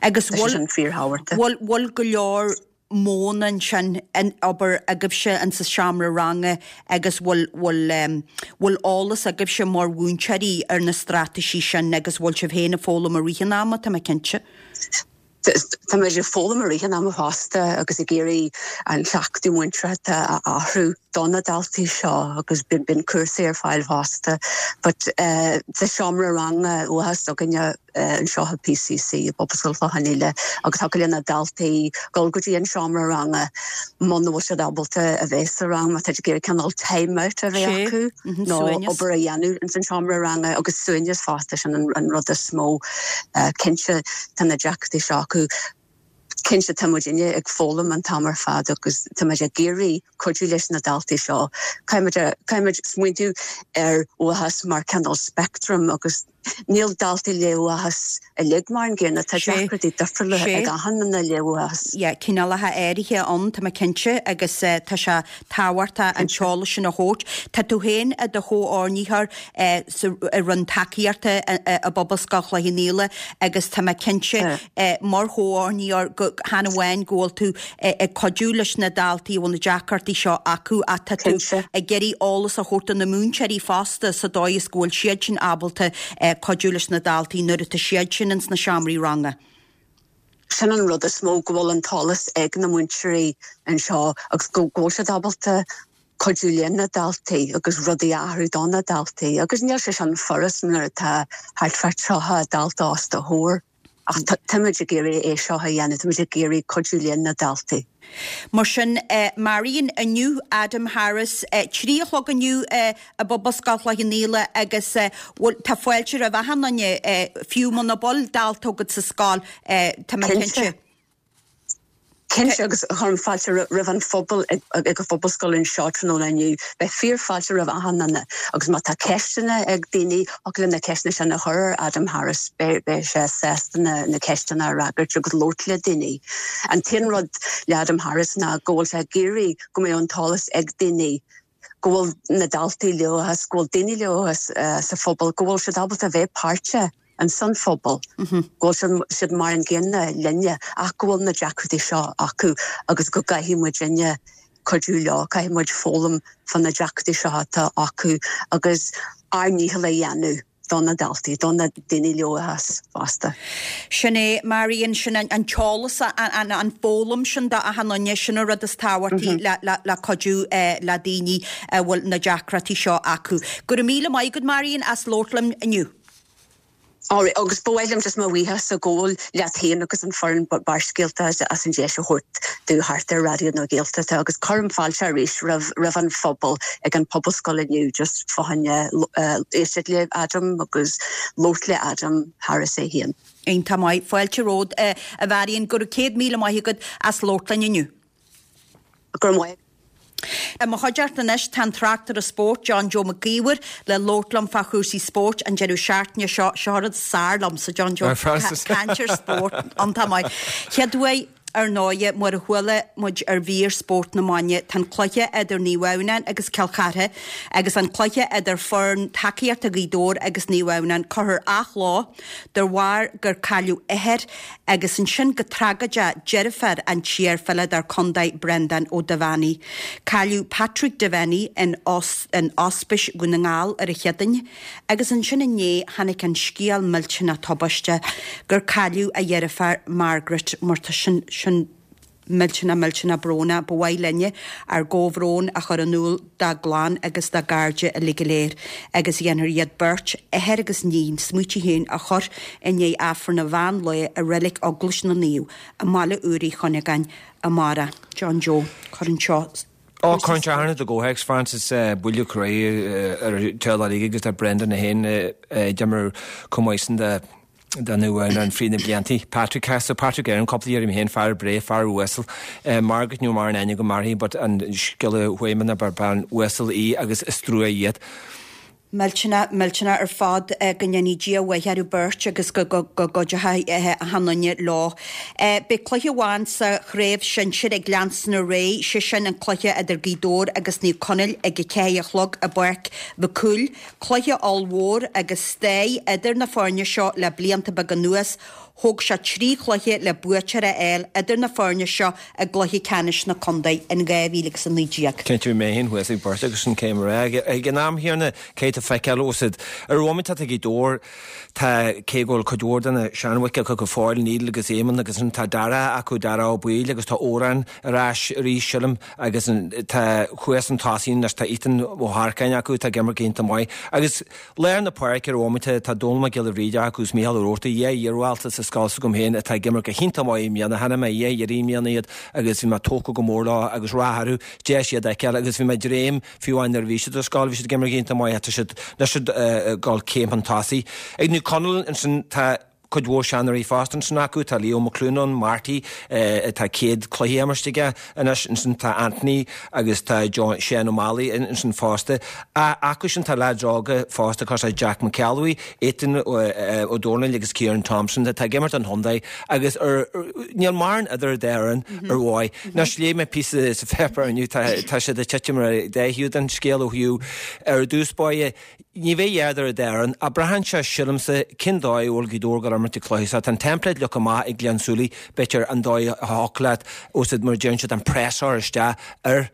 Agus Tá sé sin fíorthábhachtach. bhfuil bhfuil go leor modhanna ansin in obair agaibhse in sa seomra ranga agus bhfuil bhfuil bhfuil eolas agaibhse mar mhúinteoirí ar na straitéisí sin agus bhfuil sibh féin ag foghlaim i rith an ama tá mé cinnte. Tá muid ag foghlaim i rith an ama fosta agus ag iarraidh an cleachtadh múinteoireachta a athrú do na daltaí seo agus bíonn cúrsaí ar fáil fosta. But uh, sa seomra ranga uathachas againne uh, anseo i PCC i bPobalscoil Chlochán Liath agus thiocfadh le na daltaí dul go dtí an seomra ranga muna bhfuil siad ábalta a bheith sa rang má tá ag iarraidh cineál time out a bheith acu mhm, nó obair a dhéanamh in san seomra ranga agus suaimhneas fosta sin an, an rud is mó uh, cinnte tá na deacrachtaí seo acu. Cinnte tá muidinne ag foghlaim an t-am ar fad agus tá muid ag iarraidh cuidiú leis na daltaí seo. Caithfimid smaointiú ar uathachas mar cineál spectrum agus níl daltaí le uathachas uilig mar an gcéanna tá deacrachtaí difriúla ag achan duine le uathachas. Ja, cineálacha áirithe ann tá mé cinnte agus uh, tá sé tábhachtach an t-eolas sin a thabhairt. Tá tú féin i do chomhordaitheoir uh, i roinn tacaíochta i bPobalscoil Chloich Cheann Fhaola agus tá mé cinnte uh, mar chomhordaitheoir go chan amháin go bhfuil tú ag cuidiú leis na daltaí bhfuil na deacrachtaí seo acu ach tá tú ag iarraidh eolas a thabhairt do na múinteoirí fosta sa dóigh is go bhfuil siad sin ábalta cuidiú leis na daltaí nuair atá siad sin ins na seomraí ranga. Sin an rud is mó go bhfuil an t-eolas ag na múinteoirí anseo agus go bhfuil siad ábalta cuidiú le na daltaí agus rudaí a athrú do na daltaí agus níl sé sin furast nuair atá thart fá tríocha dalta os do chomhair. Ach táimid ag iarraidh é seo a dhéanamh, táimid ag iarraidh cuidiú le na daltaí. Mar sin eh, Marion inniu Adam Harris eh, trí a chlog inniu eh, i bPobalscoil Chloich Cheann Fhaola agus eh, tá fáilte roimh achan duine eh, fiú muna bhfuil dalta agat sa scoil eh, tá mé cinnte. Cinnte agus cuirim fáilte roimh an phobal ag an phobalscoil anseo tráthnóna inniu, beidh fíorfháilte roimh achan duine agus má tá ceisteanna ag daoine thiocfadh leo na ceisteanna sin a chur ar Adam Harris beidh sé sásta na, na ceisteanna a fhreagairt agus labhairt le daoine. An t-aon rud le Adam Harris ná go bhfuil sé ag iarraidh go mbeidh an t-eolas ag daoine go bhfuil na daltaí le uathachas, go bhfuil daoine le uathachas uh, sa phobal, go bhfuil siad ábalta bheith páirteach an san phobal mm -hmm. go bhfuil siad mar an gcéanna linne ach go bhfuil na deacrachtaí seo acu agus go gcaithfidh muidinne cuidiú leo caithfidh muid foghlaim fá na deacrachtaí seo atá acu agus ár ndícheall a dhéanamh do na daltaí do na daoine le uathachas fosta. Sin é Marion sin an, an t-eolas an, an, an fhoghlaim sin do achan duine sin an rud is tábhachtaí mm -hmm. le, le, le cuidiú eh, le daoine a bhfuil na deacrachtaí seo acu. Go raibh míle maith agat Marion as labhairt liom inniu. Alright, agus ba mhaith liom just mo bhuíochas a ghabháil leat féin agus an foireann Barrscéalta as an deis a thabhairt domh thart ar Raidió na Gaeltachta agus cuirim fáilte arís roimh roimh an phobal ag an pobalscoil inniu just fá choinne éisteacht le Adam agus labhairt le Adam Harris é féin. Iontach maith fáilte romhat a Mharion go raibh céad míle maith agat as labhairt linn inniu. Gur maith. I mo chuideachta anois tá an tráchtaire spóirt John Joe Mac Íomhair le labhairt liom fá chúrsaí spóirt an deireadh seachtaine seo seo rud is fearr liomsa John Joe caint ar spórt iontach maith. Chéad uair ar ndóigh mar a chuala muid ar mhír spórt na maidine tá an cluiche idir Naomh Adhamhnáin agus Cill Chartha agus an cluiche idir foireann tacaíochta Ghaoth Dobhair agus Naomh Adhamhnáin curtha ar athlá de bharr gur cailleadh othar agus ansin go tragóideach deirfiúr an t-iarpheileadóir contae Brendan Ó Duibheannaigh. Cailleadh Patrick Devenny in, os, in Ospís Dhún na nGall ar an Chéadaoin, agus ansin inné tháinig an scéal millteanach tubaiste gur cailleadh a dheirfiúr Margaret mar tá sin sin millteanach millteanach brónach ba mhaith linne ár gcomhbhrón a chur in iúl dá gclann agus dá gcairde uilig go léir agus dhéanfar iad beirt athair agus iníon smaoitigh féin a chur i ndiaidh Aifreann an mheán lae i reilig Eaglais na Naomh i mBaile Úr Uí Chuinneagáin amárach. John Joe cuireann seo Ó, cuireann sé thar na i gcomhthéacs, Francis, buille croí ar an teaghlach agus tá Brendan é féin d'imir chomh maith sin de den an fríd na bliantaí. Patrick Castle, Patrick Aaron, cúpla iarraidh mé féin, fear breá, fear uasal. Margaret nó mar an aine go mairfidh, but an scéal a chuaigh mé ná bean uasal í agus is trua iad. Millteanach, millteanach ar fad go ndéanfaidh Dia a mhaith orthu beirt agus go gcuideoidh achan nduine leo. Beidh cluiche amháin sa chraobh shinsir ag leanstan ar aghaidh, sé sin an cluiche idir Gaoth Dobhair agus Naomh Conaill ag a ceathair a chlog i bPáirc Mhic Cumhaill. Cluiche ollmhór agus stair idir na foirne seo le blianta beaga anuas. Thóg sé trí chluiche le buaiteoir a fháil idir na foirne seo i gcluiche ceannais na contae in dhá mhíle agus a naoi déag. Cinnte, bhí mé féin thuas ag beirt agus sin céim ar aghaidh. Ag an am chéanna, cé tá feiceáil os id ar bhomaite atá ag Gaoth Dobhair, tá cé go bhfuil cuid mhór de na seanbhoic acu go fóill, Neil agus Éamonn agus ansin tá Dara acu, Dara Ó Baoill agus tá Odhrán ar ais arís, sílim, agus tá thuas an tosaí anois, tá Ethan Ó hEarcáin acu atá ag imirt go hiontach maith. Agus lár na páirce ar bhomaite tá Dónal Mac Giolla Bhríde acu is Mícheál Ó Roarty, dhá iardhalta sa scoil s'agam féin atá ag imirt go hiontach maith i mbliana. Chonaic mé dhá iarraidh i mbliana iad agus bhí mé tógtha go mór leo agus rath orthu, deis iad a fheiceáil agus bhí mé ag dréim fiú amháin nuair a bhí siad ar scoil, bhí siad ag imirt go hiontach maith ach tá siad anois ag dul céim chun tosaigh. Ag Naomh Conaill ansin tá cuid mhór seanóirí fosta ansin acu, tá Leo McLoone ann, Marty, tá céad cluiche imeartha aige anois, ansin tá Anthony agus tá John, Shane O'Malley ansin fosta. Acu sin tá leaids óga fosta cosúil le Jack McElwee, Ethan Ó Dónaill agus Kieran Thompson atá ag imirt don chontae agus ar, níl mórán idir an dá fhoireann ar ndóigh. Anois léigh mé píosa sa pháipéar inniu, tá, tá siad ag titim ar an dá thaobh den scéal ó thaobh ar dtús báire, Ní bheidh a dhath idir an dá fhoireann, ach braitheann sé, sílimse, cén dóigh a bhfuil Gaoth Dobhair ag dul imirt an cluiche seo. Tá an template leagtha amach ag Glenn Súilí, b'fhéidir an dóigh a thiocfadh leat, úsáid mar a deireann siad, an press a chur isteach ar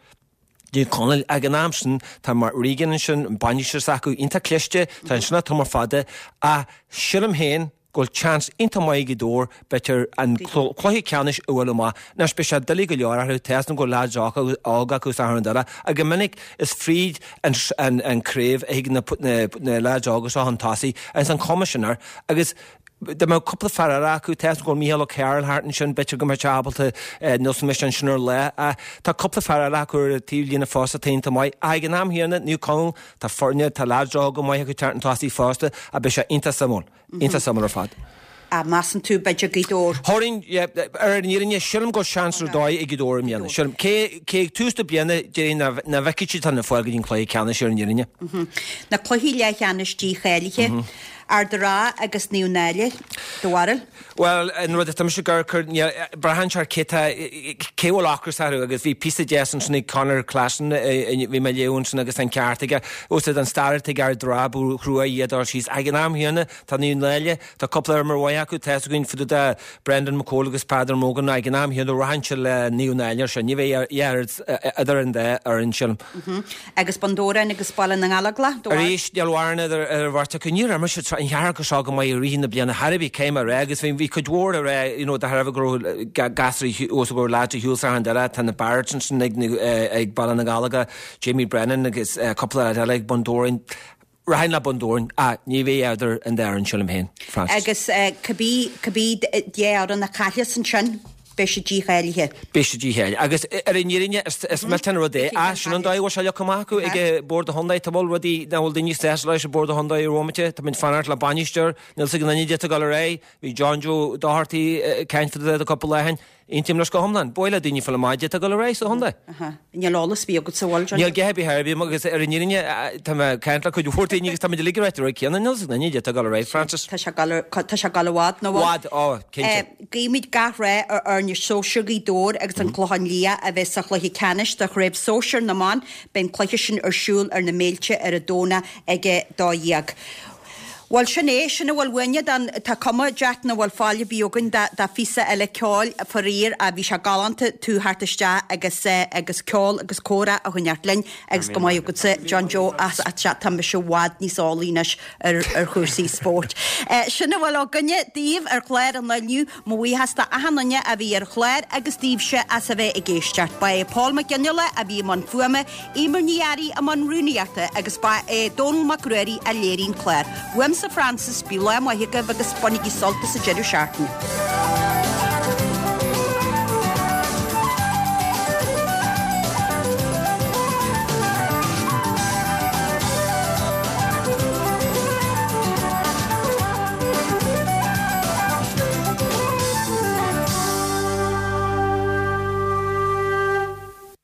Naomh Conaill. Ag an am sin, tá Mark Regan ansin, an bainisteoir s'acu, iontach cliste, tá an sin tamall fada, ach sílim féin, go bhfuil seans iontach maith ag Gaoth Dobhair, b'fhéidir, an cluiche ceannais a bhualadh amach. Anois, beidh sé doiligh go leor orthu, tá a fhios agam go bhfuil leaids óga acu sa cheann eile, ach go minic is fríd an craobh a thig na leaids óga seo chun tosaigh agus an chuma sin air. Agus dá mbeadh cúpla fear eile acu, tá a fhios agam go bhfuil Mícheál Ó Cearúil thart ansin, b'fhéidir go mbeadh sé ábalta Nelson Mish ansin ar lá. Tá cúpla fear eile acu ar an taobh líne fosta atá iontach maith. Ach ag an am chéanna, Naomh Conaill, tá foirne, tá leaids óga maith acu teacht chun tosaigh fosta, ach beidh sé iontach suimiúil. Iontach suimiúil ar fad. Ah, measann tú, b'fhéidir Gaoth Dobhair? Thabharfainn, yeah, ar an fhírinne, sílim go bhfuil seans ar dóigh ag Gaoth Dobhair i mbliana. Sílim, cé, cé ag tús na bliana, déarfainn nach, nach bhfeicfidh siad chun fáil go dtí an cluiche ceannais ar an fhírinne. Na cluichí leathcheannais dícháilithe, Ard an Rátha agus Naomh Náille, do bharúil? Bhuel, an rud atá mise ag cur, cur, braitheann sé ar cé tá, cé bhfuil ocras orthu agus bhí píosa deas ansin ag Conor Classon, bhí mé ag léamh ansin agus an ceart aige, úsáid an stair atá ag Ard an Rátha, ba thrua iad a fháil síos. Ag an am chéanna, tá Naomh Náille, tá cúpla imreoir maith acu, tá a fhios againn fá dtaobh de Brendan McCole agus Peadar Mogan, ag an am chéanna rachainnse le Naomh Náille ar sin, ní bheidh idir an dá fhoireann, sílim. Agus Bun Dobhráin agus Baile na nGallóglach, do bharúil? Arís, níl mórán idir an bheirt acu. Níor imir siad an cheathracha seo go maith i rith na bliana thar a bheith céim a rá agus bhí cuid mhór a rá you know de thairbhe go raibh gasúir os go raibh leaids ar shiúl sa cheann eile, tá na Barretts ansin ag ag Baile na nGallóglach, Jamie Brennan agus cúpla leaid eile ag Bun Dobhráin. Rachainn le Bun Dobhráin, ach ní bheidh idir an dá fhoireann, sílim féin, Francis. Agus cibé cibé dhá fhoireann a chaillfeas ansin, beidh siad dícháilithe. Beidh siad dícháilithe. Agus ar an fhírinne, is millteach an rud é, ach sin an dóigh a bhfuil sé leagtha amach acu ag Bord an Chontae. Tá bhfuil rudaí nach bhfuil daoine sásta leis ag Bord an Chontae ar bhomaite. Tá muid fanacht le bainisteoir, níl 's ag aon duine cad é atá ag dul ar aghaidh. Bhí John Joe Doherty ag caint fá dtaobh de cúpla lá ó shin. Aontaím leis go hiomlán. Ba mhaith le daoine fáil amach cad é atá ag dul ar aghaidh sa chontae. Níl eolas ar bith agatsa, an bhfuil, John? Níl a dhath ar bith ar bith agam agus ar an fhírinne tá mé ag caint le cuid mhór daoine agus tá muid uilig ag ráit an rud céanna. Níl 's ag aon duine cad é atá ag dul ar aghaidh, Francis. Tá sé ag dul tá sé ag dul i bhfad, nach bhfuil? Bhfad, ó, cinnte. Guímid gach rath ar fhoirne sóisir Ghaoth Dobhair agus an Clochán Liath a bheas sa chluiche ceannais de Chraobh Sóisir na mBan. Beidh an cluiche sin ar siúl ar na Méilte ar an Domhnach ag a dó dhéag. Bhuel, sin é, sin a bhfuil uainne don, tá cuma, Jack, nach bhfuil fáil ar bith againn do, do phíosa eile ceoil, faraor, ach bhí sé galánta tú theacht isteach agus eh, agus ceol agus comhrá a choinneáilt linn agus go maith agatsa, John Joe, as, as, tá mise i bhfad níos eolaí anois ar, ar chúrsaí spóirt. Eh, sin a bhfuil againne daoibh ar chlár an lae inniu, mo bhuíochas do achan duine a bhí ar an chlár agus daoibhse as a bheith ag éisteacht. Ba é Paul Mac Fhionnghaile a bhí i mbun fuaime, Eimear Ní Fhearraigh i mbun rúnaíochta agus ba é Dónall Mac Ruairí a léirigh an clár. Uaimse Frances, bíodh lá maith agaibh agus bainigí sult as an deireadh seachtaine.